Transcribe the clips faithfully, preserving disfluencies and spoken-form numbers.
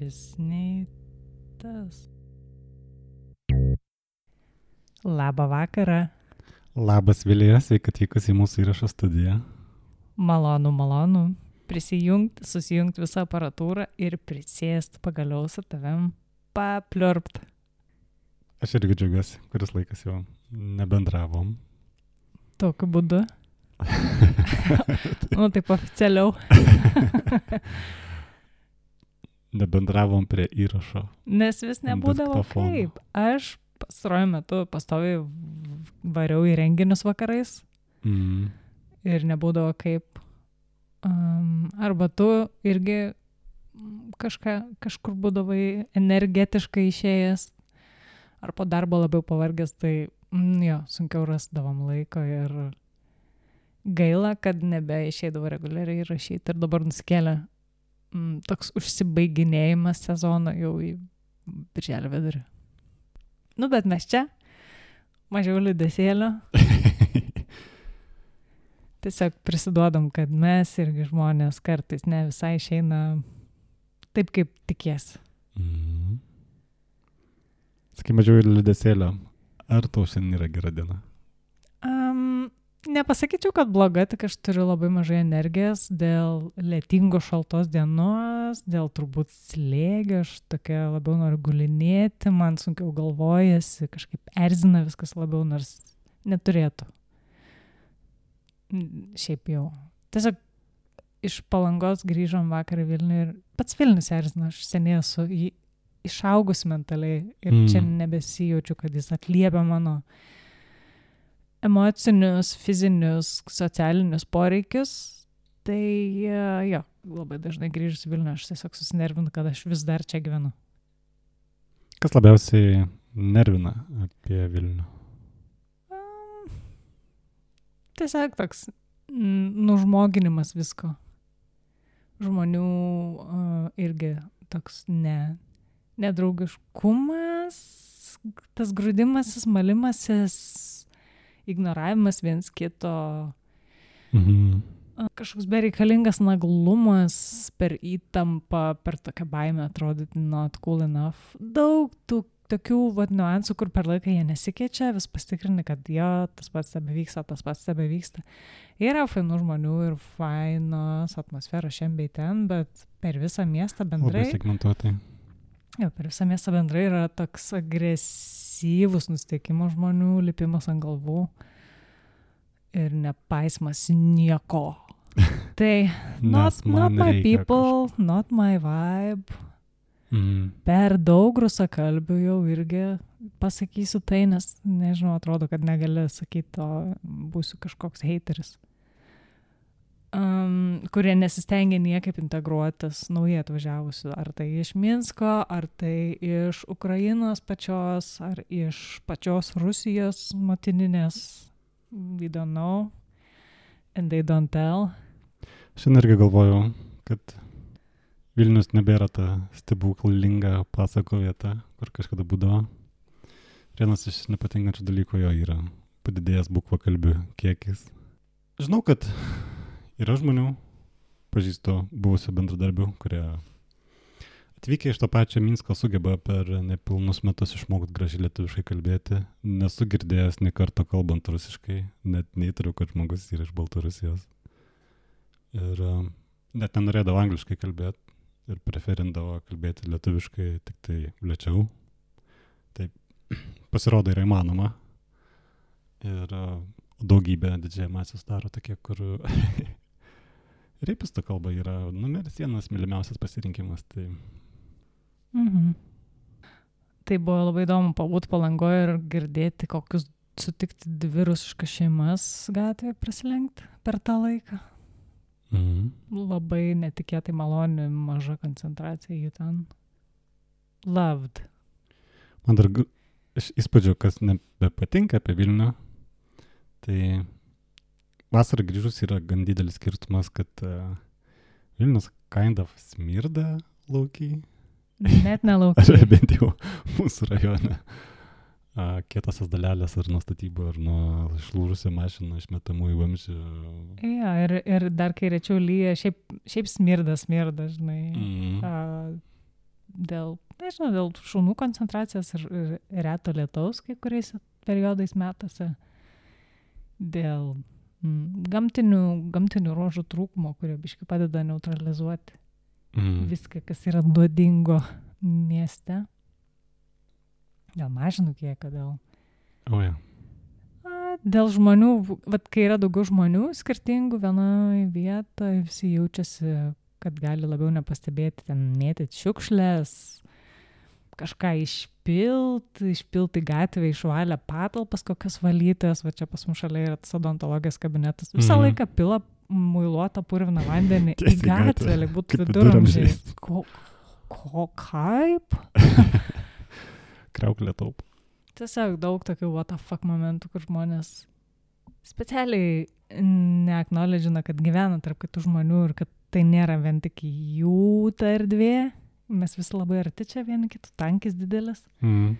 šis nei tas. Labą vakarą. Labas Vilija, sveika atvykus į mūsų įrašo studiją. Malonu, malonu. Prisijungti, susijungti visą aparatūrą ir prisėsti pagaliau su tavim papliurpt. Aš irgi džiaugiuosi, kuris laikas jau nebendravom. Tokiu būdu. Nu, taip oficialiau. Nebendravom prie įrašo. Nes vis nebūdavo kaip. Aš pastaruoju metu pastoviai variau į renginius vakarais. Mm. Ir nebūdavo kaip. Um, arba tu irgi kažką, kažkur būdavai energetiškai išėjęs. Ar po darbo labiau pavargęs, tai mm, jo, sunkiau rasdavom laiko ir gaila, kad nebeišeidavo reguliariai rašyti. Ir dabar nusikėlė mm, toks užsibaiginėjimas sezono jau į birželio vidurį. Nu, bet mes čia, mažiau liūdesėlio. Tiesiog prisiduodam, kad mes irgi žmonės kartais ne visai išeina taip, kaip tikės. Mm. Sakai, mažiau liūdesėlio. Ar tau šiandien yra gera diena? Um, nepasakyčiau, kad bloga, tik aš turiu labai mažai energijos dėl lietingos šaltos dienos, dėl turbūt slėgio, aš tokia labiau noriu gulinėti, man sunkiau galvojasi, kažkaip erzina viskas labiau, nors neturėtų. Šiaip jau. Tiesiog iš Palangos grįžom vakar į Vilnių ir pats Vilnius erzina, aš seniai esu į, išaugus mentaliai ir mm. čia nebesijaučiu, kad jis atliepia mano emocinius, fizinius, socialinius poreikius. Tai jo, labai dažnai grįžus į Vilnių aš tiesiog susinervinu, kad aš vis dar čia gyvenu. Kas labiausiai nervina apie Vilnių? Tiesiog toks nužmoginimas visko. Žmonių uh, irgi toks ne, nedraugiškumas, tas grūdimasis, malimasis, ignoravimas viens kito, Mhm. uh, kažkoks bereikalingas naglumas per įtampą, per tokią baimę atrodyti not cool enough. Daug tų tokių vat, niuansų, kur per laiką jie nesikeičia, vis pasitikrini, kad jo, tas pats tebevyksta, tas pats tebevyksta. Yra fainų žmonių ir fainos atmosferos šiandien bei ten, bet per visą miestą bendrai... Labai segmentuotai. Jo, per visą miestą bendrai yra toks agresyvus nusteikimo žmonių, lipimas ant galvų ir nepaismas nieko. Tai not, not my people, kažką. Not my vibe. Mm. Per daug rusakalbių jau irgi pasakysiu tai, nes nežinau, atrodo, kad negali sakyti, o būsiu kažkoks hateris. Um, kurie nesistengia niekaip integruotis naujai atvažiavusių, ar tai iš Minsko, ar tai iš Ukrainos pačios, ar iš pačios Rusijos motininės. We don't know. And they don't tell. Šiandien irgi galvojau, kad Vilnius nebėra ta stebuklinga pasako vieta, kur kažkada būdavo. Vienas iš nepatinkančių dalykų jo yra padidėjęs bukvakalbių kiekis. Žinau, kad yra žmonių, pažįstu buvusių bendradarbių, kurie atvykę iš to pačio Minsko sugeba per nepilnus metus išmokti gražiai lietuviškai kalbėti. Nesu girdėjęs nė karto kalbant rusiškai, net neįtariu, kad žmogus yra iš Baltarusijos. Ir uh, net nenorėdavo angliškai kalbėti. Ir preferindavo kalbėti lietuviškai tik tai lėčiau. Taip, pasirodo yra įmanoma. Ir uh, daugybė didžiąją masę sudaro tokie, kur reipisto kalba yra numeris vienas mylimiausias pasirinkimas. Tai... Mhm. Tai buvo labai įdomu pabūti Palangoje ir girdėti, kokius sutikti dvi rusiškas šeimas gatvėje prasilenkti per tą laiką. Mhm. Labai netikėtai maloni, maža koncentracija jų ten. Loved. Man dar iš įspūdžio, kas nebepatinka apie Vilnių, tai vasarą grįžus yra gan didelis skirtumas, kad uh, Vilnius kind of smirda laukiai. Net nelaukiai. Ar bent jau mūsų rajone. A, kietosios dalelės ar nuo statybų, ar nuo išlūžusio mašino išmetamų į vamzdžių. Ja, ir, ir dar kai rečiau lyja, šiaip, šiaip smirda, smirda, žinai. Mm. A, dėl, nežinau, dėl šunų koncentracijos ir, ir reto lietaus kai kuriais periodais metuose, dėl mm, gamtinių, gamtinių ruožų trūkumo, kurie biškai padeda neutralizuoti Mm. viską, kas yra nuodingo mieste. Dėl mažinų kiekio, dėl... O, ja. A, dėl žmonių, vat, kai yra daugiau žmonių skirtingų vienoje vietoje, visi jaučiasi, kad gali labiau nepastebėti, ten mėtyti šiukšlės, kažką išpilt, išpilt į gatvę, išvalę patalpas, kokias valytojas, va čia pas mus šalia yra tas odontologijos kabinetas, visą Mhm. laiką pila muiluotą purviną vandenį į Tiesiai į gatvę, gatvę, lyg būtų kaip viduramžiais. viduramžiais. Ko, ko, kaip? Kriauklė taup. Tiesiog daug tokių what the fuck momentų, kur žmonės specialiai neaknowledžina, kad gyvena tarp kitų žmonių ir kad tai nėra vien tik jų ta erdvė. Mes visi labai arti čia vieni kitų, tankis didelis. Mm.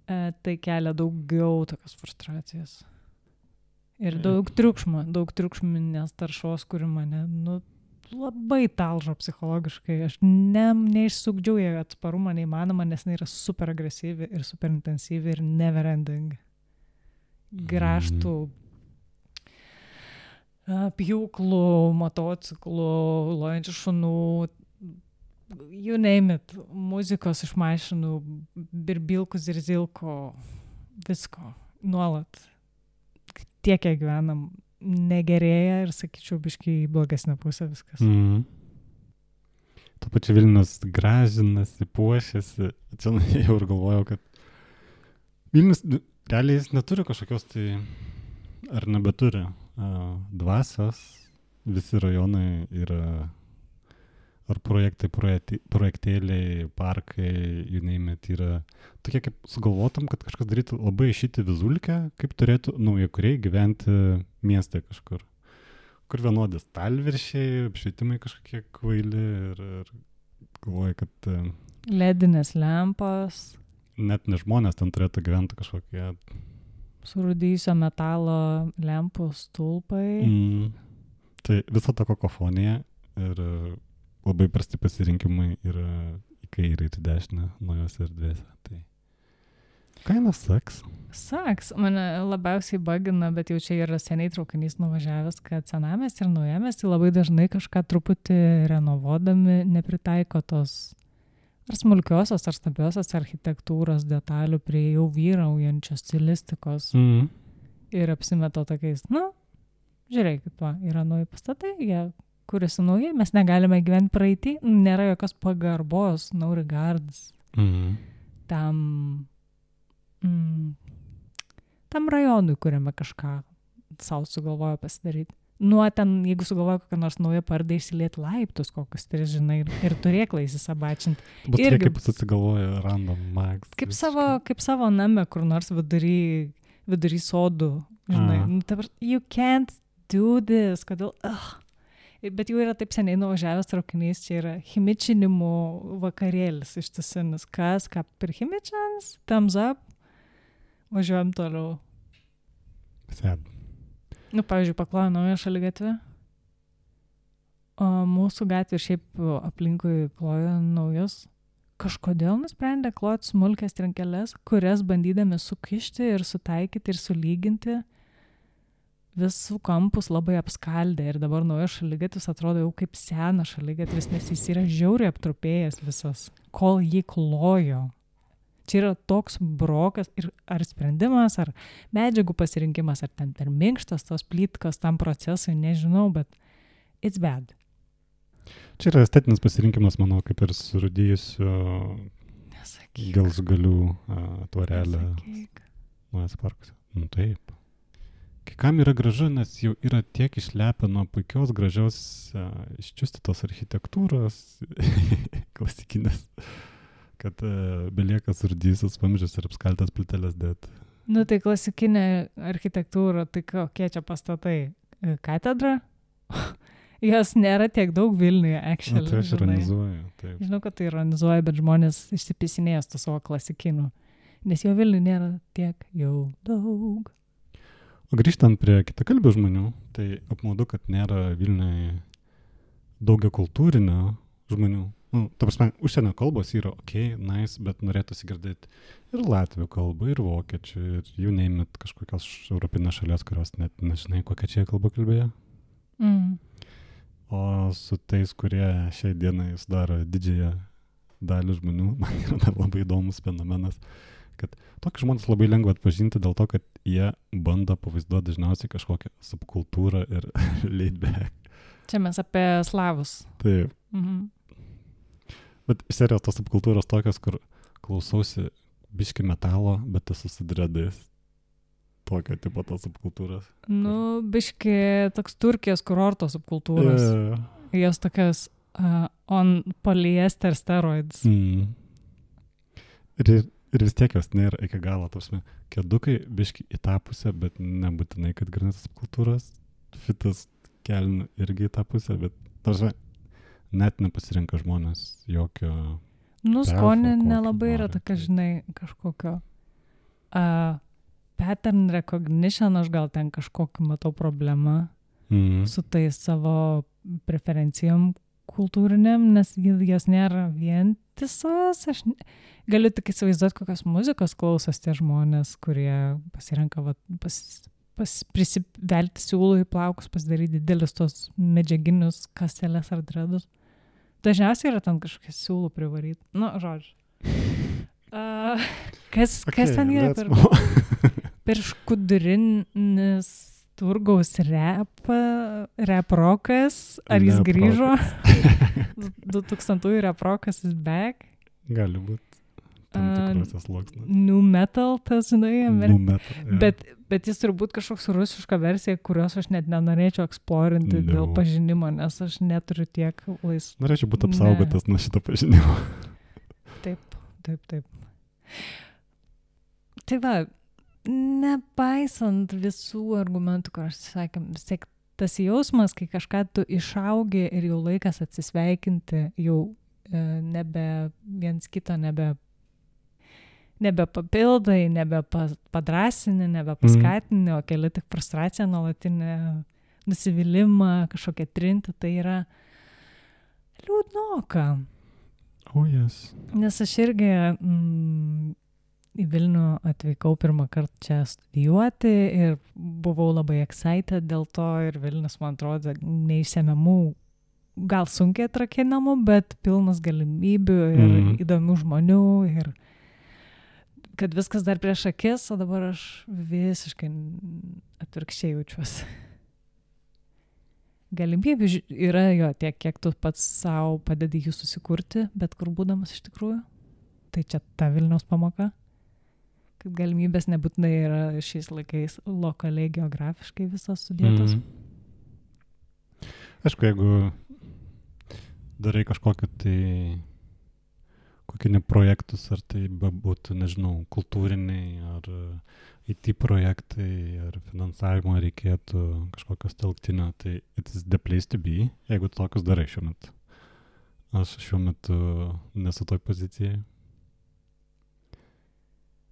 E, tai kelia daugiau tokios frustracijos. Ir Taip. daug triukšmo, daug triukšminės taršos, kuri mane nu, labai talžo psichologiškai. Aš ne, neišsukdžiau ją atsparumą neįmanoma, nes jinai yra super agresyvi ir super intensyvi ir never ending. Graštų, a, pjūklų, motociklų, lojančių šunų, you name it, muzikos iš mašinų, birbilkų, zirzilko, visko, nuolat. Tiek, kiek gyvenam, negerėja ir, sakyčiau, biškai į blogesnę pusę viskas. Mm. Tuo pačiu Vilnius gražinasi, puošiasi. Čia jau ir galvojau, kad Vilnius realiai jis neturi kažkokios tai, ar nebeturi uh, dvasios. Visi rajonai yra ar projektai, projekti, projektėliai, parkai, you name it, yra tokie, kaip sugalvotum, kad kažkas darytų labai šitį vizulkę, kaip turėtų naujakuriai gyventi mieste kažkur. Kur vienodės talviršiai, apšvietimai kažkokie kvaili ir, ir galvoju, kad uh, Ledinės lempos, net ne žmonės ten turėtų gyventi kažkokie. surūdysio metalo lempų stulpai. Mm, tai visa ta kakofonija ir uh, labai prasti pasirinkimai yra į kairę ir į dešinę naujose erdvėse. Tai kainas saks. Saks, mane labiausiai bagina, bet jau čia yra seniai traukinys nuvažiavęs, kad senamiestį ir naujamiestį labai dažnai kažką truputį renovuodami nepritaiko tos ar smulkiosios, ar stambiosios architektūros detalių prie jau vyraujančios stilistikos Mm. ir apsimeta tokiais, nu, žiūrėkit, va, yra nauji pastatai, jie kuriasi naujai, mes negalime gyventi praeitį, nėra jokios pagarbos, no regards Mm. tam, mm, tam rajonui, kuriame kažką savo sugalvojo pasidaryti. Nuo ten, jeigu sugalvojo kokią nors naują pardą išsilieti laiptus, kokius tris, žinai, ir, ir turėklai įsisabačinti. Bus Irgi- tokie, kaip susigalvoja random max. Kaip savo, kaip savo name, kur nors vidury, vidury sodų, žinai. A. Nu, ta prasme, you can't do this, kodėl, ugh. Bet jau yra taip seniai nuvažiavęs traukinys, čia yra chimičinimo vakarėlis ištisinis. Kas, ką per chimičans, thumbs up, važiuojam toliau. Sed. Nu, pavyzdžiui, paklojo naują šaligatvę, o mūsų gatvė ir šiaip aplinkui klojo naujus. Kažkodėl nusprendė kloti smulkės trinkeles, kurias bandydami sukišti ir sutaikyti ir sulyginti, visų kampus labai apskaldė ir dabar naujas šaligatvis atrodo jau kaip senas šaligatvis, nes jis yra žiauriai aptrupėjęs visas, kol jį klojo. Čia yra toks brokas ir ar sprendimas, ar medžiagų pasirinkimas, ar ten per minkštas tos plytkos tam procesui, nežinau, bet it's bad. Čia yra estetinis pasirinkimas, manau, kaip ir surūdyjusiu Nesakyk. gelsgalių uh, tvorelę Nesakyk. naujas parkuose. Nu taip. Kai kam yra gražu, nes jau yra tiek išlepę nuo puikios, gražios, uh, iščiustytos architektūros, klasikinės, kad uh, belieka surdyjusius vamzdžius ir apskaltas plyteles dėt. Nu tai klasikinė architektūra, tai kokie čia pastatai? Katedra? Jos nėra tiek daug Vilniuje, Na, actually. tai aš žinai. ironizuoju. Taip. Žinau, kad tai ironizuoja, bet žmonės išsipisinėjęs to savo klasikinių. Nes jo Vilniuje nėra tiek jau daug. O grįžtant prie kitakalbių žmonių, tai apmaudu, kad nėra Vilniuje daugia kultūrinio žmonių. Nu, ta prasme, užsienio kalbos yra ok, nice, bet norėtųsi girdėti ir latvių kalbą, ir vokiečių, ir jų neimit kažkokios europinės šalies, kurios net nežinai, kokia čia kalba kalbėjo. Mm. O su tais, kurie šiai dienai sudaro didžiąją dalį žmonių, man yra dar labai įdomus fenomenas, kad tokį žmonės labai lengva atpažinti dėl to, kad jie bando pavaizduoti dažniausiai kažkokią subkultūrą ir laid back. Čia mes apie slavus. Taip. Mhm. Bet iš serijos tos subkultūros tokios, kur klausausi biški metalo, bet esu su dredais. Tokio tipo tos subkultūros. Nu, biški toks Turkijos kurorto subkultūros. Yeah. Jos tokios uh, on polyester steroids. Mm. Ir, ir vis tiek jos nėra iki galo. Tavsime, kedukai biški į tą pusę, bet nebūtinai, kad granitas subkultūros. Fitas kelnių irgi į tą pusę, bet tavsime, net nepasirenka žmonės jokio... Nu, perfo, skonė kokio nelabai yra nori. tokia, žinai, kažkokio uh, pattern recognition, aš gal ten kažkokį matau problemą Mm. su tais savo preferencijom kultūriniam, nes jos nėra vientisos. Aš ne- galiu tik įsivaizduoti, kokios muzikos klausos tie žmonės, kurie pasirenka va, pas, pas, prisivelti siūlų į plaukus, pasidaryti didelius tos medžiaginius kaselės ar dredus. Dažniausiai yra ten kažkokie siūlų privaryti. Nu, žodžiu. Uh, kas, okay, kas ten yra let's per, move. per škudrinis turgaus rap, rap rokas? Ar jis Rap grįžo? du tūkstantųjų rap rokas is back. Gali būti tam A, tikrose sluoksnės. New metal, tas, žinai, Amer... Nu, metal, jo. bet, bet jis turbūt kažkoks rusiška versija, kurios aš net nenorėčiau eksplorinti No. dėl pažinimo, nes aš neturiu tiek laisvų. Norėčiau būti Ne. apsaugotas nuo šito pažinimo. Taip, taip, taip. Tai va, nepaisant visų argumentų, kur aš sakėm, vis tiek tas jausmas, kai kažką tu išaugi ir jau laikas atsisveikinti, jau e, nebe viens kito nebe, nebe papildai, nebe pa- padrasini, nebe paskatini, o keli tik frustraciją, nuolatinį nusivylimą, kažkokią trintį, tai yra liūdnoka. Oh, yes. Nes aš irgi mm, į Vilnių atvykau pirmą kartą čia studijuoti ir buvau labai excited dėl to ir Vilnius, man atrodo, neišsemiamų, gal sunkiai atrakinamų, bet pilnas galimybių ir Mhm. įdomių žmonių ir kad viskas dar prieš akis, o dabar aš visiškai atvirkščiai jaučiuosi. Galimybių ži- yra jo tiek, kiek tu pats savo padedi jų susikurti, bet kur būdamas iš tikrųjų. Tai čia ta Vilniaus pamoka. Kad galimybės nebūtinai yra šiais laikais lokaliai, geografiškai visos sudėtos. Mhm. Aišku, jeigu darai kažkokį tai kokie ne projektus, ar tai būtų, nežinau, kultūriniai, ar I T projektai, ar finansavimo reikėtų kažkokios telktinio, tai it's the place to be, jeigu tu tokius darai šiuo metu. Aš šiuo metu nesu toj pozicijai.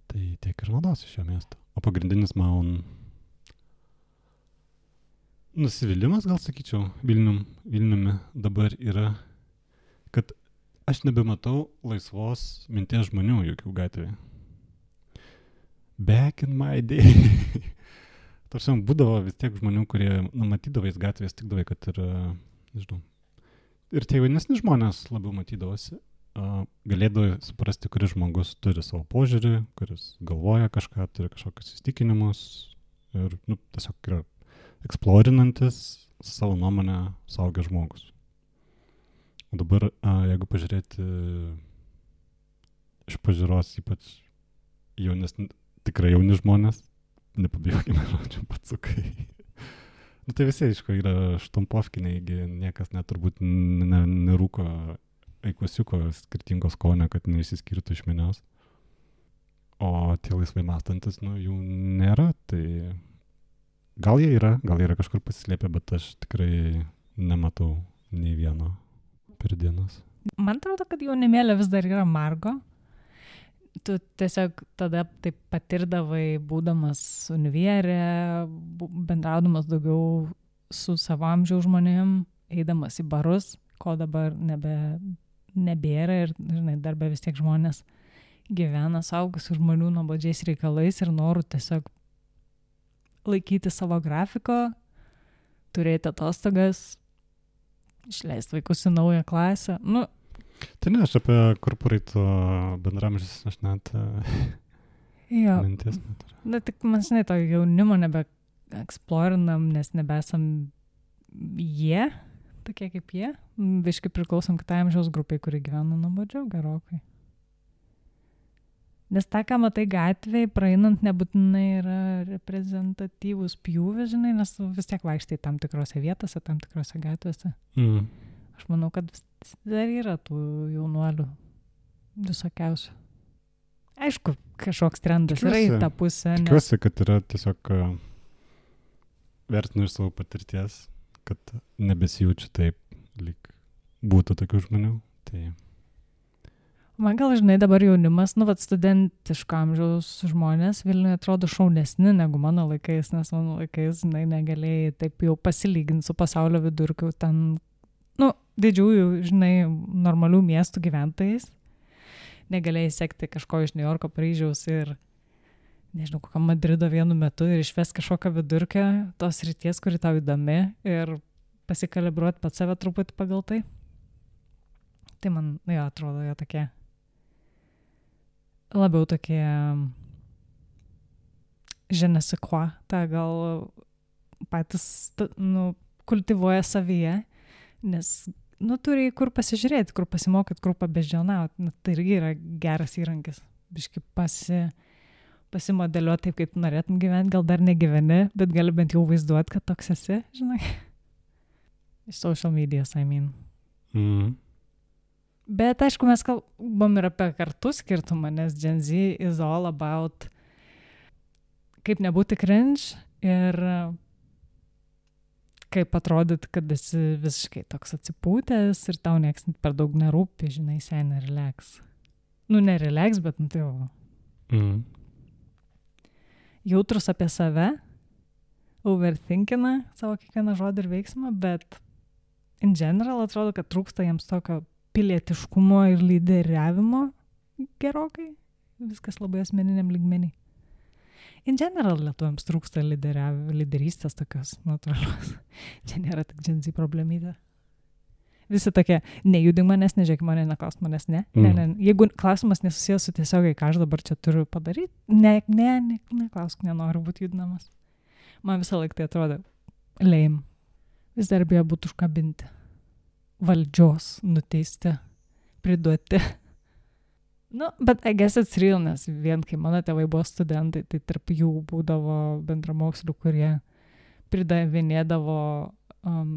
Tai tiek ir naudosiu šio miesto. O pagrindinis man nusivylimas, gal sakyčiau, Vilnium, Vilniumi dabar yra, kad aš nebematau laisvos minties žmonių jokių gatvėje. Back in my day. Tarsi būdavo vis tiek žmonių, kurie nu, matydavais gatvės, tikdavai, kad ir, nežinau, ir tie jaunesni žmonės labiau matydavosi. Uh, galėdavo suprasti, kuris žmogus turi savo požiūrį, kuris galvoja kažką, turi kažkokius įstikinimus ir nu, tiesiog yra eksplorinantis savo nuomonę suaugęs žmogus. O dabar, uh, jeigu pažiūrėti iš pažiūros ypač jaunesni, tikrai jauni žmonės, nepabijokime žodžiu, patsukai. Nu tai visi, aišku, yra štampovkiniai, niekas net turbūt ne, nerūko eikusiuko skirtingos skonio, kad neišsiskirtų iš minios. O tie laisvai mąstantis, nu, jų nėra, tai gal jie yra, gal jie yra kažkur pasislėpę, bet aš tikrai nematau nei vieno per dienas. Man atrodo, kad jaunimėlė vis dar yra margo. Tu tiesiog tada taip patirdavai, būdamas univierė, bu- bendraudamas daugiau su savo amžiaus žmonėm, eidamas į barus, ko dabar nebe, nebėra ir, žinai, darbė vis tiek žmonės gyvena suaugusių žmonių nuobodžiais reikalais ir noru tiesiog laikyti savo grafiko, turėti atostogas, išleisti vaikus į naują klasę. Nu, tai ne, aš apie korporato bendramžys, aš net jo, minties neturiu. na tik man, žinai, to jaunimo nebeeksplorinam, nes nebesam jie, tokie kaip jie. Biškai priklausom kitai amžiaus grupiai, kuri gyvena nuobodžiau gerokai. Nes tą, ką matai gatvėje, praeinant nebūtinai yra reprezentatyvus pjūvis, žinai, nes vis tiek vaikštai tam tikrose vietose, tam tikrose gatvėse. Mm. Aš manau, kad dar yra tų jaunuolių visokiausių. Aišku, kažkoks trendas yra į tą pusę. Nes... Tikiuosi, kad yra tiesiog uh, vertinu iš savo patirties, kad nebesijaučiu taip, lyg būtų tokių žmonių. Tai... Man gal, žinai, dabar jaunimas, nu, vat studentiško amžiaus žmonės Vilniuje atrodo šaunesni negu mano laikais, nes mano laikais, žinai, negalėjai taip jau pasilyginti su pasaulio vidurkiu ten, nu, didžiųjų, žinai, normalių miestų gyventojais. Negalėjai sekti kažko iš New Yorko, Paryžiaus ir, nežinau, kokio Madrido vienu metu ir išves kažkokią vidurkę tos ryties, kuri tau įdomi ir pasikalibruoti pat save truputį pagal tai. Tai man, jo, atrodo, jo tokie labiau tokie je ne sais quoi, tą gal patys, nu, kultivuoja savyje, nes, nu, turi kur pasižiūrėti, kur pasimokyti, kur pabeždžionauti, nu, tai irgi yra geras įrankis, biškai pasi, pasimodeliuoti taip, kaip norėtum gyventi, gal dar negyveni, bet gali bent jau vaizduoti, kad toks esi, žinai, iš social medias, I mean. Mm. Bet, aišku, mes kalbam ir apie kartų skirtumą, nes Gen Z is all about kaip nebūti cringe ir kaip atrodyti, kad esi visiškai toks atsipūtęs ir tau nieks per daug nerūpi, žinai, seniai relax. Nu, ne relax, bet, nu, tai jau. Mm. Jautrus apie save, overthinkina savo kiekvieną žodį ir veiksmą, bet in general atrodo, kad trūksta jiems tokio pilietiškumo ir lyderiavimo gerokai. Viskas labai asmeniniam lygmenį. In general lietuviams trūksta lyderystės tokios natūralios. Čia nėra tik Gen Z problemytė. Visi tokie, nejudink manęs, nežiūrėk mane, neklausk manęs, ne. Mm. ne, ne. Jeigu klausimas nesusijęs su tiesiogiai, ką aš dabar čia turiu padaryti, ne, ne, ne, neklausk, nenoriu būti judinamas. Man visą laiką tai atrodo lame. Vis dar bijo būtų užkabinti. Valdžios nuteisti, priduoti. Nu, bet I guess it's real, nes vien kai mano tėvai buvo studentai, tai tarp jų būdavo bendramokslių, kurie pridavinėdavo um,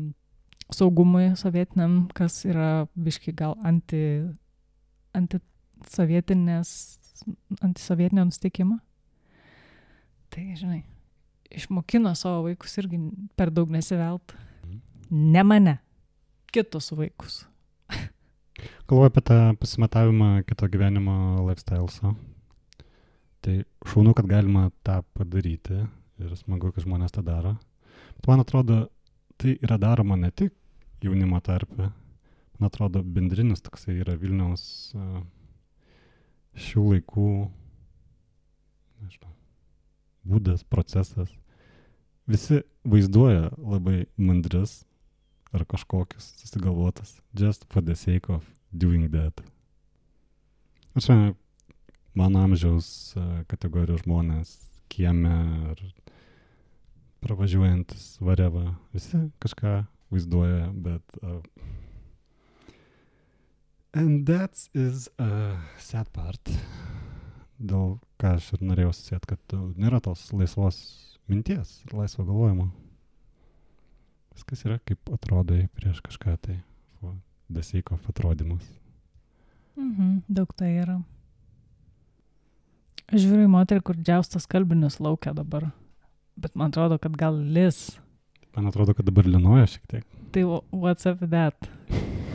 saugumui sovietiniam, kas yra biškai gal anti, antisovietinės, antisovietinio nusteikimo. Tai, žinai, išmokino savo vaikus irgi per daug nesivelt. Ne mane. Kitus vaikus. Galvoju apie tą pasimatavimą kito gyvenimo lifestyles'o. Tai šaunu, kad galima tą padaryti ir smagu, kad žmonės tą daro. Bet man atrodo, tai yra daroma ne tik jaunimo tarpe. Man atrodo, bendrinis toksai yra Vilniaus uh, šių laikų, nežinau, būdas, procesas. Visi vaizduoja labai mandris ar kažkokius susigalvotas, just for the sake of doing that. Aš žinai, mano amžiaus kategorijos žmonės, kieme ar pravažiuojantis whatever, visi kažką vaizduoja, bet uh, and that is a sad part. Dėl ką aš ir norėjau susėti, kad nėra tos laisvos minties, laisvo galvojimo. Viskas yra kaip atrodai prieš kažką, tai for the sake of atrodymus. Mhm, daug tai yra. Aš žiūriu į moterį, kur džiaustas kalbinius laukia dabar, bet man atrodo, kad gal lis. Man atrodo, kad dabar linoja šiek tiek. Tai what's up with that?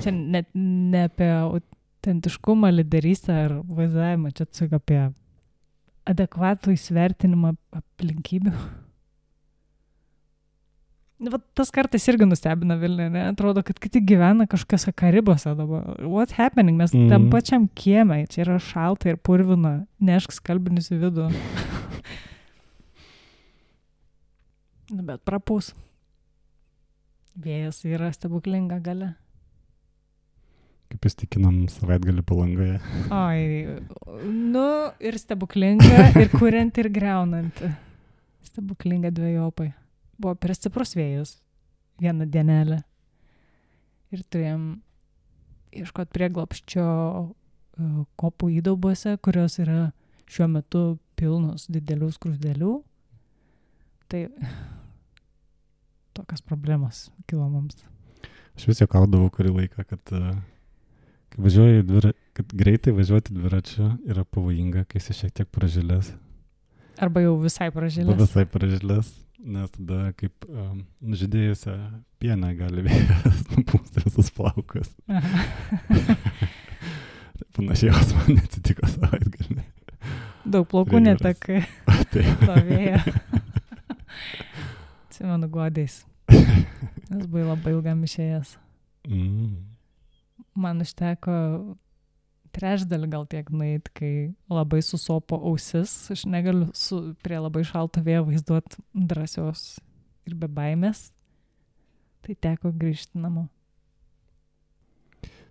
Čia net ne apie autentiškumą, lyderystę ar vaizdavimą, čia tiesiog apie adekvatų įsvertinimą aplinkybių. Va, tas kartais irgi nustebina Vilniuje, ne? Atrodo, kad kiti gyvena kažkokiose Karibose dabar. What's happening? Mes mm. tam pačiam kiemai, čia yra šalta ir purvina, nešk skalbinius į vidų. Nu, bet prapūs. Vėjas yra stebuklinga galia. Kaip įstikinam savaitgalį Palangoje. Oi, nu ir stebuklinga, ir kurianti, ir greunanti. Stebuklinga dvejopai. Buvo per stiprus vėjas vieną dienelę. Ir turėjom ieškoti prieglobsčio uh, kopų įdaubose, kurios yra šiuo metu pilnos didelių skrusdelių. Tai tokios problemos kilo mums. Aš vis juokaudavau kurį laiką, kad, uh, kad, važiuoji dvira, kad greitai važiuoti dviračiu yra pavojinga, kai esi šiek tiek pražilęs. Arba jau visai pražilęs. Arba visai pražilęs. Nes tada kaip um, nužydėjusią pieną gali vėjas nupūsti visus plaukus. Panašiai jos man atsitiko savaitgalį. Daug plaukų netekai nuo vėjo. Atsimenu godės. Nes buvai labai ilgam išėjęs. Mm. Man užteko trečdalį gal tiek nueit, kai labai susopo ausis. Aš negaliu su, prie labai šalto vėjo vaizduoti drąsios ir be baimės. Tai teko grįžti namo.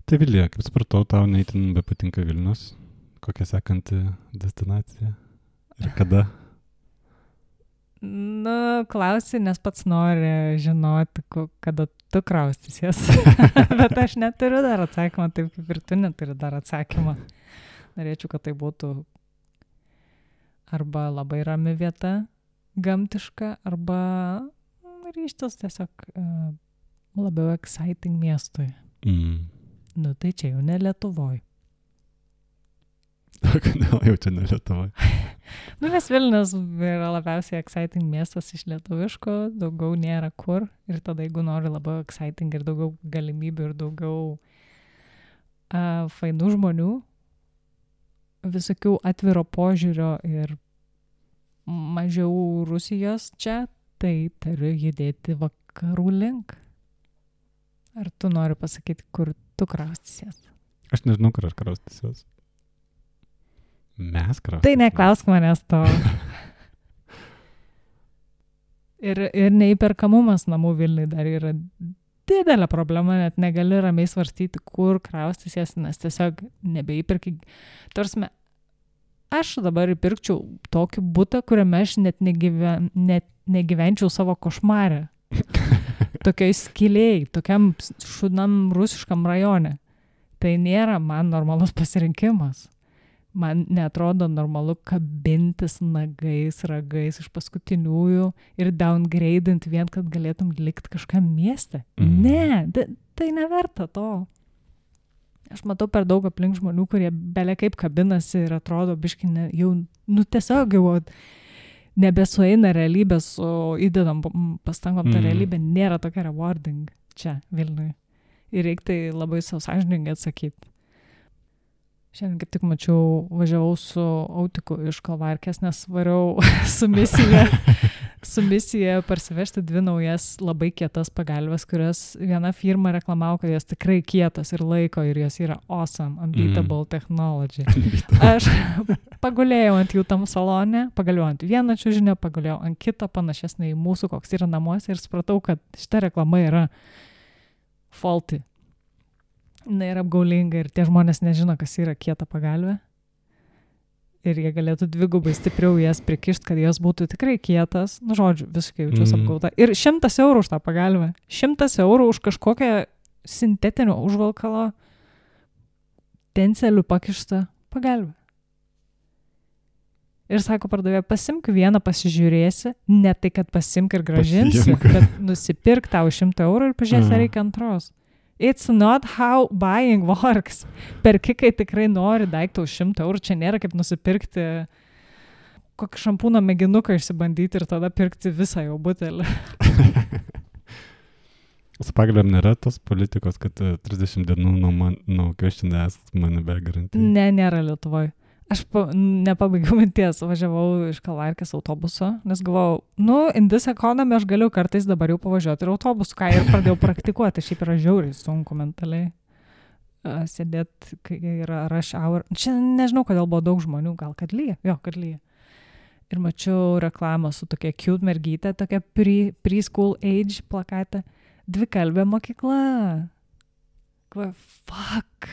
Tai Vilija, kaip supratau, tau neįtin bepatinka Vilnius. Kokia sekanti destinacija? Ir kada? Nu, klausi, nes pats nori žinoti, kada tu kraustysies. Bet aš neturiu dar atsakymą, taip kaip ir tu neturi dar atsakymą. Norėčiau, kad tai būtų arba labai rami vieta, gamtiška, arba ryštas tiesiog uh, labiau exciting miestui. Mm. Nu, tai čia jau ne Lietuvoj. Kodėl jau čia ne Lietuvoj? Nu, nes Vilnius yra labiausiai exciting miestas iš lietuviško, daugiau nėra kur. Ir tada, jeigu nori labiau exciting ir daugiau galimybių ir daugiau uh, fainų žmonių, visokių atviro požiūrio ir mažiau Rusijos čia, tai turiu judėti vakarų link. Ar tu nori pasakyti, kur tu kraustysies? Aš nežinau, kur aš kraustysies. Mes kraustysies. Tai neklausk manęs to. ir, ir neįperkamumas namų Vilniui dar yra didelė problema, net negali ramiai svarstyti, kur kraustysies, nes tiesiog nebeįperki. Tarsime, aš dabar įpirkčiau tokį butą, kuriame aš net, negyven, net negyvenčiau savo košmarę. Tokiai skiliai, tokiam šunam rusiškam rajone. Tai nėra man normalus pasirinkimas. Man neatrodo normalu kabintis nagais, ragais iš paskutiniųjų ir downgradint vien, kad galėtum likti kažkam mieste. Mm. Ne, da, tai neverta to. Aš matau per daug aplink žmonių, kurie belia kaip kabinasi ir atrodo biškai ne, jau, nu tiesiog jau nebesueina realybė, su įdedam pastangom, ta mm. realybė nėra tokia rewarding čia Vilniuje. Ir reikia tai labai savo sąžiningai atsakyti. Šiandien kaip tik mačiau, važiavau su Autiku iš Kalvarkės, nes variau su misija, su misija parsivežti dvi naujas labai kietas pagalves, kurias viena firma reklamavo, kad jos tikrai kietas ir laiko ir jos yra awesome, unbeatable mm. technology. Aš pagulėjau ant jų tam salone, pagaliau ant vieną čiužinę, pagaliau ant kitą panašesnį į mūsų, koks yra namuose ir supratau, kad šita reklama yra faulty. Na ir apgaulinga ir tie žmonės nežino, kas yra kieta pagalvė. Ir jie galėtų dvigubai stipriau jas prikišti, kad jos būtų tikrai kietas. Nu, žodžiu, visiškai jaučiuosi mm. apgauta. Ir šimtas eurų už tą pagalvę. Šimtas eurų už kažkokią sintetinio užvalkalo tencelių pakištą pagalvę. Ir sako pardavėja, pasimk vieną, pasižiūrėsi, ne tai, kad pasimk ir grąžinsi, Pasiimk. Bet nusipirk tau šimtą eurų ir pažiūrėsi, mm. reikia antros. It's not how buying works. Perki, kai tikrai nori daiktą už šimtą eurų, čia nėra kaip nusipirkti kokį šampūno mėginuką išsibandyti ir tada pirkti visą jau butelį. Su pagalbėm nėra tos politikos, kad trisdešimt dienų nuo, man, nuo question ask money back guarantee? Ne, nėra Lietuvoj. Aš pa, nepabaigiau minties, važiavau iš Kalvarkės autobuso, nes galvojau, nu, in this economy aš galiu kartais dabar jau pavažiuoti ir autobusu, ką ir pradėjau praktikuoti, šiaip yra žiauriai sunku mentaliai uh, sėdėti, kai yra rush hour. Čia nežinau, kodėl buvo daug žmonių, gal kad lyja, jo, kad lyja. Ir mačiau reklamą su tokia cute mergytė, tokia pre, preschool age plakatė, dvikalbė mokykla. Kva, fuck.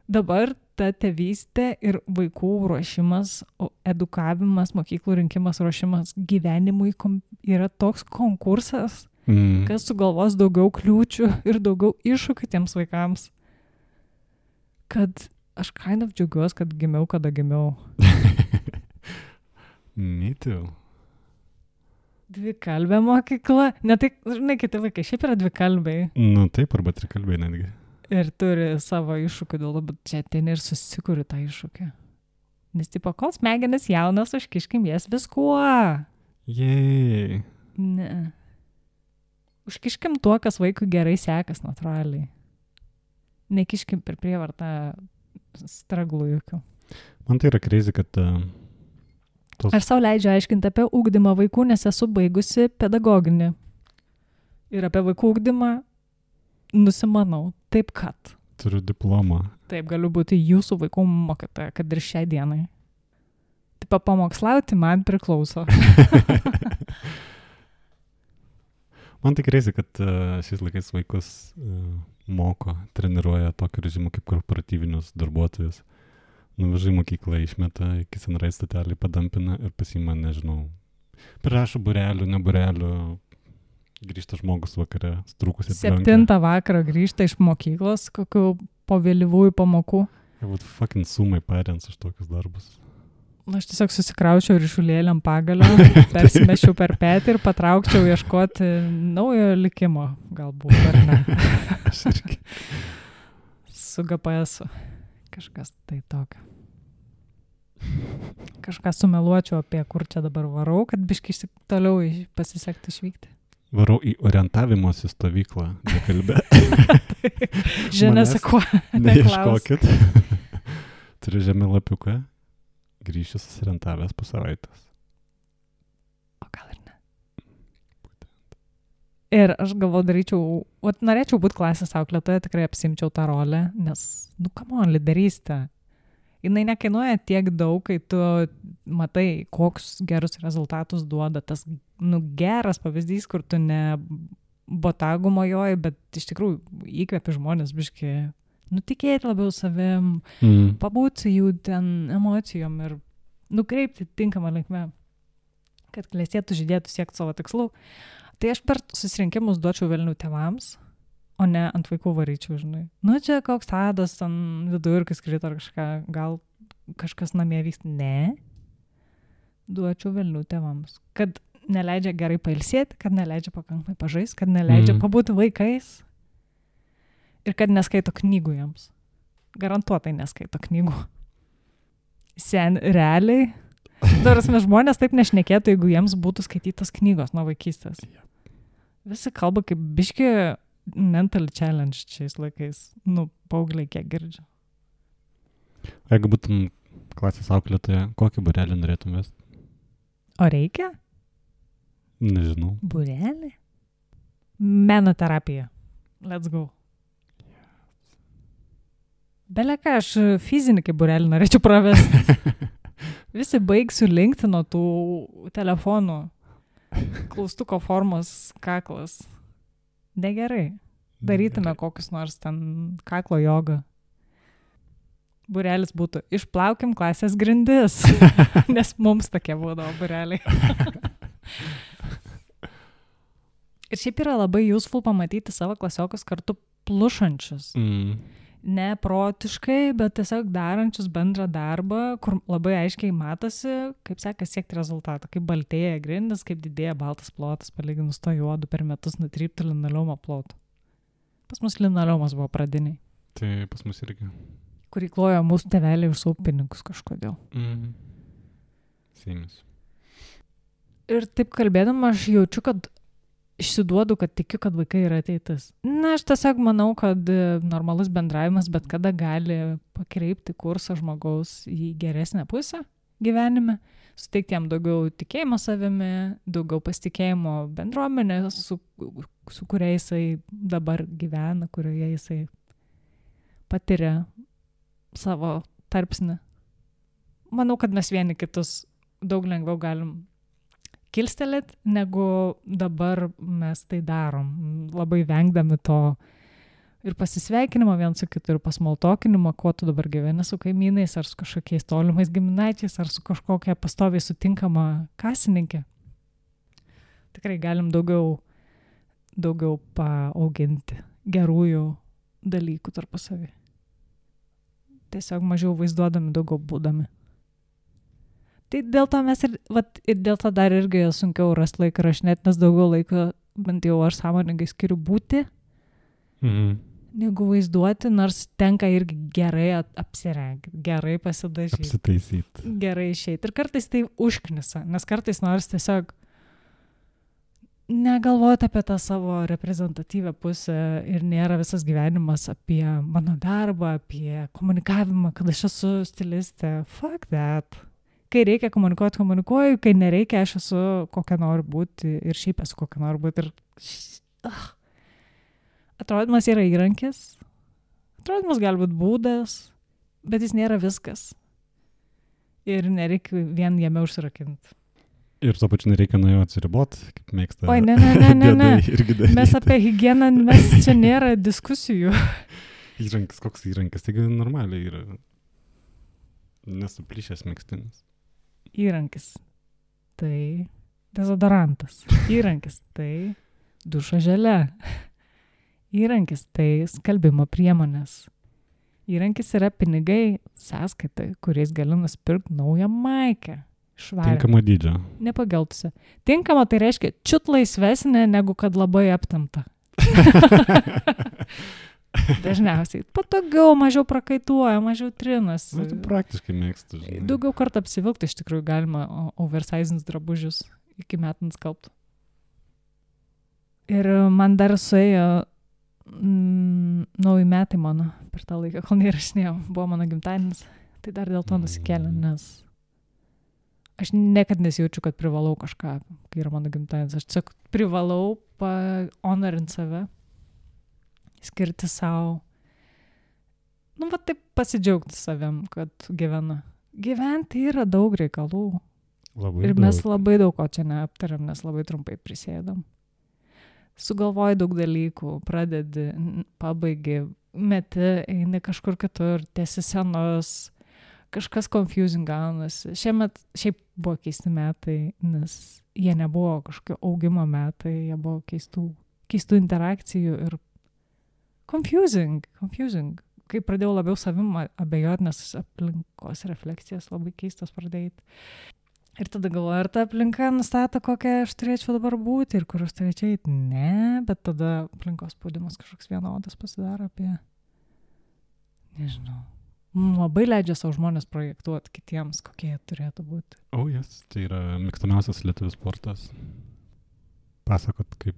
Dabar ta tėvystė ir vaikų ruošimas, edukavimas, mokyklų rinkimas, ruošimas gyvenimui kom, yra toks konkursas, mm. kas sugalvos daugiau kliūčių ir daugiau iššūkių tiems vaikams, kad aš kind of džiaugiuosi, kad gimiau, kada gimiau. Me too. Dvikalbė mokykla. Ne tai, žinai, kiti vaikai šiaip yra dvikalbiai. Nu taip, arba trikalbiai netgi. Ir turi savo iššūkių dėl to, bet čia ten ir susikuri tą iššūkį. Nes tipo, kol smegenis jaunas, užkiškim jas viskuo. Jei. Ne. Užkiškim tuo, kas vaikui gerai sekas natūraliai. Nekiškim per prievartą straglų jokių. Man tai yra crazy, kad... Uh, tos... Aš sau leidžiu aiškinti apie ugdymą vaikų, nes esu baigusi pedagoginį. Ir apie vaikų ugdymą nusimanau. Taip kad. Turiu diplomą. Taip, galiu būti jūsų vaikų mokytoja, kad ir šiai dienai. Taip, pamokslauti man priklauso. Man tai crazy, kad uh, šiais laikais vaikus uh, moko, treniruoja tokį režimą kaip korporatyvinius darbuotojus. Nuvežai mokyklą, išmeta, iki senrai statelį padampina ir pasima, nežinau, prirašo burelių, ne burelių. Grįžta žmogus vakare, strūkusi aplenkia. Septintą vakarą grįžta iš mokyklos, kokių po vėlyvųjų pamokų. Jie būtų fucking sumai parents už tokius darbus. Aš tiesiog susikraučiau ryšulėlėm pagalio, persimešiau per petį ir patraukčiau ieškoti naujo likimo, galbūt, ar ne. Aš irgi. Su G P S-u. Kažkas tai tokio. Kažką sumeluočiau apie kur čia dabar varau, kad biškai toliau pasisekti išvykti. Varau į orientavimosi stovyklą, nekalbė. Žinėsi kuo. Neieškokit. Turiu žemėlapiuką. Grįšiu susirientavęs po savaitės. O gal ir ne. Ir aš galvoju, daryčiau, o norėčiau būti klasės auklėtoja, tikrai apsimčiau tą rolę, nes, nu, come on, lyderystė. Jinai nekainuoja tiek daug, kai tu matai, koks gerus rezultatus duoda. Tas, nu, geras pavyzdys, kur tu ne botagų mojoji, bet iš tikrųjų įkvepi žmonės biški, nu, tikėti labiau savim, mm. pabūti jų ten emocijom ir nukreipti tinkamą linkmę, kad klestėtų, žydėtų, siekti savo tikslų. Tai aš per susirinkimus duočiau velnių tėvams, o ne ant vaikų varyčiau, žinai. Nu, čia koks tadas, ten vidurkis krito ar kažką, gal kažkas namie vyksta. Ne. Duočiau velnių tėvams. Kad neleidžia gerai pailsėti, kad neleidžia pakankamai pažaisti, kad neleidžia mm. pabūti vaikais ir kad neskaito knygų jiems. Garantuotai neskaito knygų. Sen, realiai. Darasme, žmonės taip nešnekėtų, jeigu jiems būtų skaitytos knygos nuo vaikystės. Visi kalba kaip biški mental challenge šiais laikais. Nu, paaugliai kiek girdžiu. Jeigu būtum klasės auklėtoja, kokį būrelį norėtum vesti? O reikia? Nežinau. Būrelį? Menoterapija. Let's go. Beleka, aš fizinį kaip būrelį norėčiau pravesti. Visi baigsiu linkti nuo tų telefonų. Klaustuko formos kaklas. Negerai. Darytume kokius nors ten kaklo jogą. Būrelis būtų išplaukim klasės grindis, nes mums tokie būdavo būreliai. Ir šiaip yra labai useful pamatyti savo klasiokus kartu plušančius. Mm. Ne protiškai, bet tiesiog darančius bendrą darbą, kur labai aiškiai matosi, kaip sekas siekti rezultatą, kaip baltėja grindis, kaip didėja baltas plotas, palyginus to juodu per metus nutrypti linoleumo plotų. Pas mus linoleumas buvo pradiniai. Tai pas mus irgi. Kurį klojo mūsų tėveliai už savo pinigus kažkodėl. Mhm. Seimis. Ir taip kalbėdama aš jaučiu, kad išsiduodu, kad tikiu, kad vaikai yra ateitis. Na, aš tiesiog manau, kad normalus bendravimas bet kada gali pakreipti kursą žmogaus į geresnę pusę gyvenime, suteikti jam daugiau tikėjimo savimi, daugiau pasitikėjimo bendruomenė, su, su kuria jisai dabar gyvena, kurioje jisai patiria savo tarpsnį. Manau, kad mes vieni kitus daug lengviau galim kilstelėti, negu dabar mes tai darom. Labai vengdami to ir pasisveikinimo vien su kitu, ir pasmaltokinimo, kuo tu dabar gyveni su kaimynais, ar su kažkokiais tolimais giminaičiais, ar su kažkokia pastoviai sutinkama kasininkė. Tikrai galim daugiau, daugiau paauginti gerųjų dalykų tarpusavy. Tiesiog mažiau vaizduodami, daugiau būdami. Tai dėl to mes ir, vat, ir dėl to dar irgi sunkiau rasti laiką rašinėti, nes daugiau laiko, bent jau aš sąmoningai skiriu būti, Mhm. negu vaizduoti, nors tenka irgi gerai apsirengti, gerai pasidažyti, Apsitaisyti. gerai išeiti. Ir kartais tai užknisa, nes kartais nors tiesiog negalvoti apie tą savo reprezentatyvę pusę ir nėra visas gyvenimas apie mano darbą, apie komunikavimą, kad aš esu stilistė. Fuck that. Kai reikia komunikuoti, komunikuoju, kai nereikia, aš esu kokia noriu būti ir šiaip esu kokia noriu būti. Ir... Uh. Atrodymas yra įrankis, atrodymas gali būti būdas, bet jis nėra viskas. Ir nereikia vien jame užsirakinti. Ir tuo pačiu nereikia nuo jo atsiriboti, kaip mėgsta. Oi, ne, ne, ne, ne, ne. Diedai irgi daryti. Mes apie higieną, mes čia nėra diskusijų. Įrankis, koks įrankis, taigi normaliai yra nesuplyšęs megztinis. Įrankis. Tai dezodorantas. Įrankis. Tai dušo želė. Įrankis. Tai skalbimo priemonės. Įrankis yra pinigai sąskaitai, kuriais gali nusipirkti naują maikę. Švarę. Tinkamo dydžio. Nepageltusi. Tinkama tai reiškia čiut laisvesnė, negu kad labai aptamta. Dažniausiai. Patogiau, mažiau prakaituoja, mažiau trinas. Na, tu praktiškai mėgstu, žinai. Daugiau kartą apsivilkti iš tikrųjų galima oversizins drabužius iki metant skalbtų. Ir man dar suėjo mm, nauji metai mano per tą laiką, kol neįrašinėjau. Buvo mano gimtadienis. Tai dar dėl to nusikėlė, nes aš niekad nesijaučiu, kad privalau kažką, kai yra mano gimtadienis. Aš tiesiog privalau pahonorint save, skirti savo, nu, va taip pasidžiaugti savim, kad gyvena. Gyventi yra daug reikalų. Labai Ir daug. mes labai daug ko čia neaptariam, nes labai trumpai prisėdam. Sugalvoji daug dalykų, pradedi, pabaigi, meti, eini kažkur kitur, tiesi senos, kažkas confusing gaunasi. Šiemet šiaip buvo keisti metai, nes jie nebuvo kažkokio augimo metai, jie buvo keistų, keistų interakcijų ir confusing, confusing. Kai pradėjau labiau savim abejoti, nes aplinkos refleksijas labai keistas pradėjti. Ir tada galvoju, ar ta aplinka nustato, kokią aš turėčiau dabar būti ir kur aš turėčiau eiti. Ne, bet tada aplinkos spaudimas kažkoks vienodas pasidaro apie, nežinau, labai leidžia savo žmonės projektuoti kitiems, kokie jie turėtų būti. O, oh, jas, yes. Tai yra mėgstamiausias lietuvių sportas. Pasakot, kaip,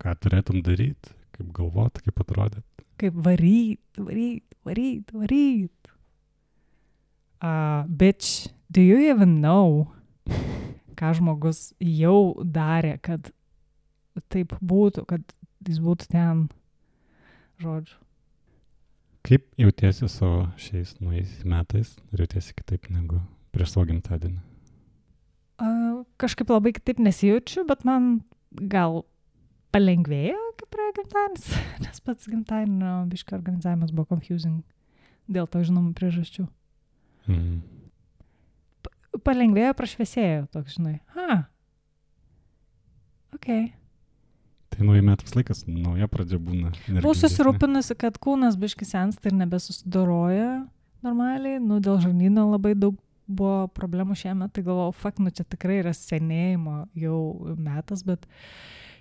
ką turėtum daryti, kaip galvoti, kaip atrodyti. Kaip varyt, varyt, varyt, varyt. Uh, bitch, do you even know, ką žmogus jau darė, kad taip būtų, kad jis būtų ten, žodžiu. Kaip jautiesi savo šiais naujais metais? Ar jautiesi kitaip negu prieš savo gimtadienį? Uh, kažkaip labai kitaip nesijaučiu, bet man gal palengvėjo, kaip praėjo gimtadienis, nes pats gimtadienio biškio organizavimas buvo confusing dėl to žinomų priežasčių. Mm. Pa- palengvėjo, prašviesėjo toks, žinai. Ha. Ok. Tai naujai metų laikas, nauja pradžia būna. Buvau susirūpinusi, kad kūnas biški sensta ir nebesusidoroja normaliai. Nu, dėl žarnyno labai daug buvo problemų šiemet, tai galvojau, fuck, nu čia tikrai yra senėjimo jau metas, bet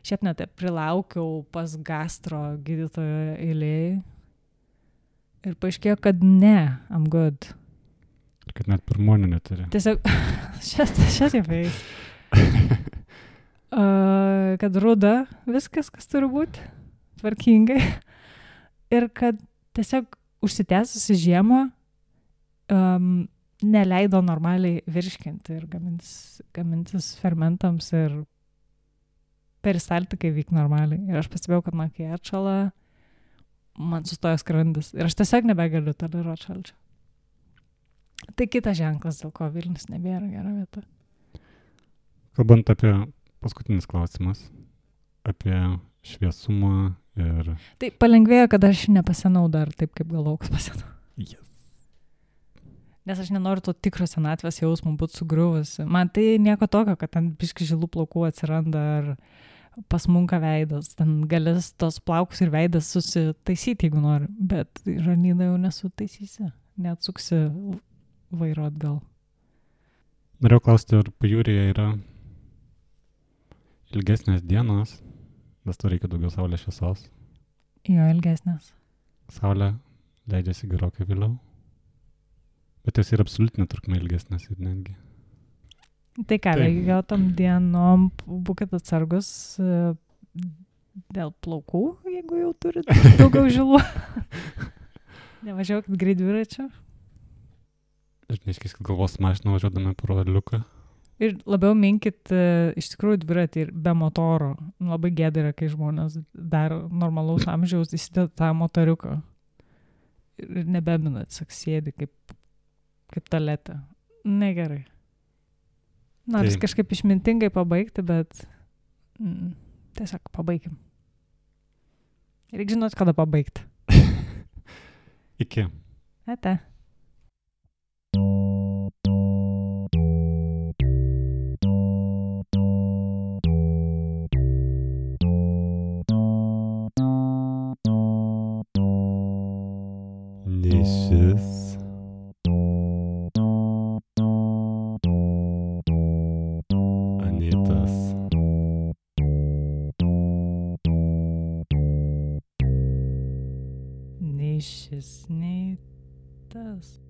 šiaip net prilaukiau pas gastro gydytojo eilėj ir paaiškėjo, kad ne, I'm good. Ir kad net pirmonių neturi. Tiesiog, šias, šias jau feis. Uh, kad ruda viskas, kas turi būti, tvarkingai. Ir kad tiesiog užsitęsusi žiemą um, neleido normaliai virškinti ir gamintis, gamintis fermentams ir peristaltikai vyk normaliai. Ir aš pastebėjau, kad man kai atšala, man sustojo skrandis. Ir aš tiesiog nebegaliu toleruoti šalčio. Tai kitas ženklas, dėl ko Vilnius nebėra gera vieta. Kalbant apie paskutinis klausimas, apie šviesumą ir... Tai palengvėjo, kad aš nepasenau dar taip, kaip galvojau, kad pasenau. Yes. Nes aš nenoriu to tikro senatvės jausmo būti sugriuvusi. Man tai nieko tokio, kad ten biški žilų plaukų atsiranda ar pasmunka veidas. Ten galės tos plaukus ir veidas susitaisyti, jeigu nori. Bet žarnyną jau nesutaisysi. Neatsuksi vairo atgal. Norėjau klausti, ar pajūryje yra ilgesnės dienos, nes to reikia daugiau saulės šviesos. Jo, ilgesnės. Saulė leidžiasi gerokai vėliau. Bet jos yra absoliutinė trukmė ilgesnės ir netgi. Tai ką, jo tom dienom būkit atsargus dėl plaukų, jeigu jau turit daugiau žilų. Nevažiuokit greit dviračiu. Ir neiškis, kad galvos mašiną važiuodami pro liuką. Ir labiau minkit iš tikrųjų dviratį ir be motoro. Labai gėda yra, kai žmonės dar normalaus amžiaus įsideda tą motoriuką. Ir nebemina, tiesiog sėdi kaip, kaip talete. Negerai. Nors tai kažkaip išmintingai pabaigti, bet mm, tiesiog pabaigim. Reikia žinot, kada pabaigti. Iki. Ate. Nišis. Anitas. Nei šis, nei tas.